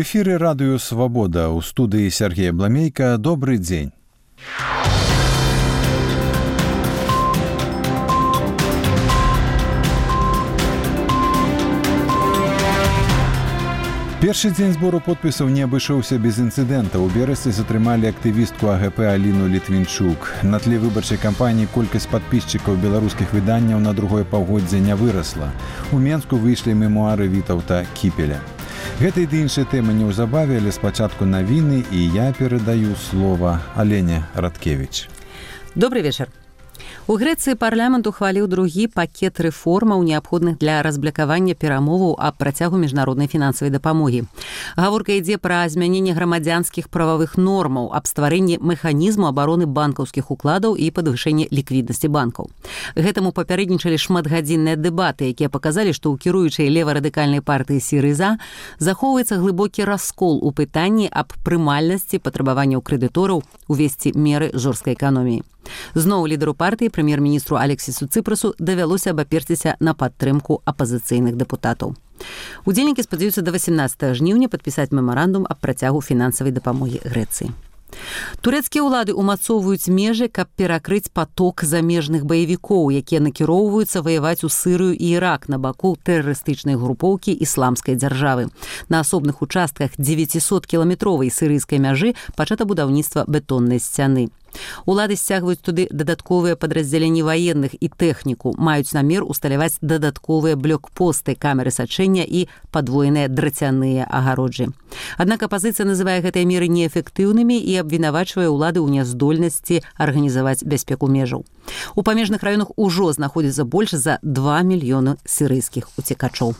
эфире радио «Свобода». У студии Сергей Бламейко. Добрый день. Першы дзень збору подпісаў не абышоўся без інцыдэнта. У Берасці затрымалі актывістку АГП Аліну Літвінчук. На тле выбарчай кампаніі колькасць падпісчыкаў беларускіх выданняў на другое паўгоддзе не вырасла. У Менску выйшлі мемуары Вітаўта Кіпеля. Гэта і іншыя тэмы неўзабаве, але спачатку навіны, і я перадаю слова Алене Радкевіч. Добрый вечер. У Грэцыі парламент ухваліў другі пакет рэформаў, неабходных для разблакавання перамоваў аб працягу міжнароднай фінансавай дапамогі. Гаворка ідзе пра змяненне грамадзянскіх прававых нормаў, аб стварэнні механізму абароны банкаўскіх укладаў і падвышэнне ліквіднасці банкаў. Гэтаму папярэднічалі шматгадзінныя дэбаты, якія паказалі, што ў кіруючай лева-радыкальнай партыі Сірыза захоўваецца глыбокі раскол у пытанні аб прымальнасці патрабаванняў крэдытораў увесці меры жорсткай эканоміі. Зноў лідару партыі, прэм'ер-міністру Алексісу Цыпрасу, давялося абаперціся на падтрымку апазіцыйных дэпутатаў. Удзельнікі спадзяюцца да 18 жніўня падпісаць мемарандум аб працягу фінансавай дапамогі Грэцыі. Турэцкія ўлады ўмацоўваюць межы, каб перакрыць паток замежных баевікоў, якія накіроўваюцца ваяваць у Сырыю і Ірак на баку тэрарыстычнай групоўкі ісламскай дзяржавы. На асобных участках 900-кіламетровай сірыйскай мяжы пачата будаўніцтва бетоннай сцяны. Улады сцягваюць туды дадатковыя падраздзяленні ваенных і тэхніку, маюць намер усталяваць дадатковыя блокпосты, камеры сачэння і падвоеныя драцяныя агароджы. Аднак апазіцыя называе гэтыя меры неэфектыўнымі і абвінавачвае ўлады ў няздольнасці арганізаваць бяспеку межаў. У памежных раёнах ужо знаходзіцца больш за 2 мільёны сірыйскіх уцекачоў.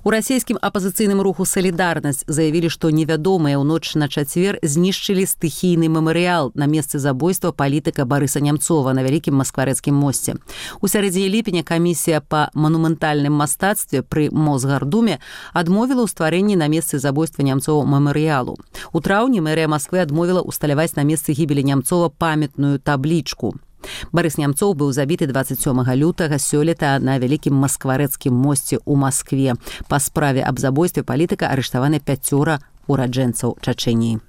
У расійскім апазіцыйным руху «Салідарнасць» заявілі, што невядомыя ў ноч на чацвер знішчылі стыхійны мемарыял на месцы забойства палітыка Барыса Нямцова на Вялікім Маскварэцкім мосце. У сярэдзіне ліпеня камісія па манументальным мастацтве пры Мосгардуме адмовіла ў стварэнні на месцы забойства Нямцова мемарыялу. У траўні мэрыя Масквы адмовіла ўсталяваць на месцы гібелі Нямцова памятную таблічку. Барыс Нямцоў быў забіты 27 лютага сёлета на Вялікім Маскварэцкім мосце ў Маскве. Па справе аб забойстве палітыка арыштаваны 5 ураджэнцаў Чачэніі.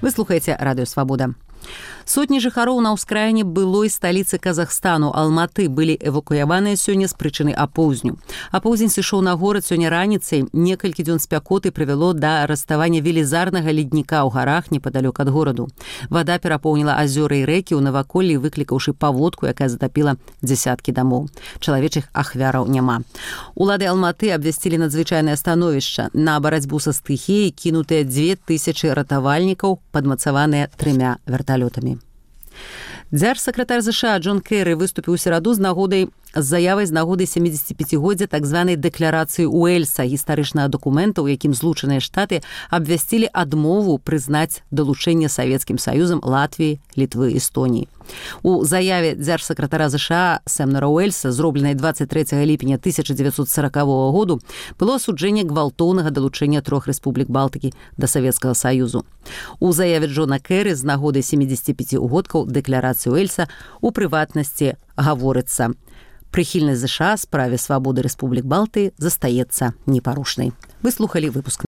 Вы слухаеце радыё «Свабода». Сотні жыхароў на ўскраіне былой сталіцы Казахстану Алматы былі эвакуяваныя сёння з прычыны апоўзню. Апоўзень сышоў на горад сёння раніцай. Некалькі дзён спякоты прывяло да раставання велізарнага ледніка ў гарах непадалёк ад гораду. Вада перапоўніла азёры і рэкі ў наваколлі, выклікаўшы паводку, якая затапіла дзясяткі дамоў. Чалавечых ахвяраў няма. Улады Алматы абвясцілі надзвычайнае становішча. На барацьбу са стыхіяй кінутыя 2000 ратавальнікаў, падмацаваныя 3 верталётамі. Дзяржсакратар ЗША Джон Кэры выступіў у сераду з заявай з нагоды 75-годдзя так званай дэкларацыі Уэльса, гістарычнага дакумента, у якім Злучаныя Штаты абвясцілі адмову прызнаць далучэнне Савецкім Саюзам Латвіі, Літвы, Эстоніі. У заяве дзяржсакратара ЗША Сэмнера Уэльса, зробленай 23 ліпеня 1940 году, было асуджэнне гвалтоўнага далучэння 3 рэспублік Балтыкі да Савецкага Саюзу. У заяве Джона Кэры з нагоды 75-годкаў дэкларацыі Уэльса у прыватнасці гаворыцца: прыхільнасць ЗША справе свабоды Рэспублік Балтыі застаецца непарушнай. Вы слухалі выпуск.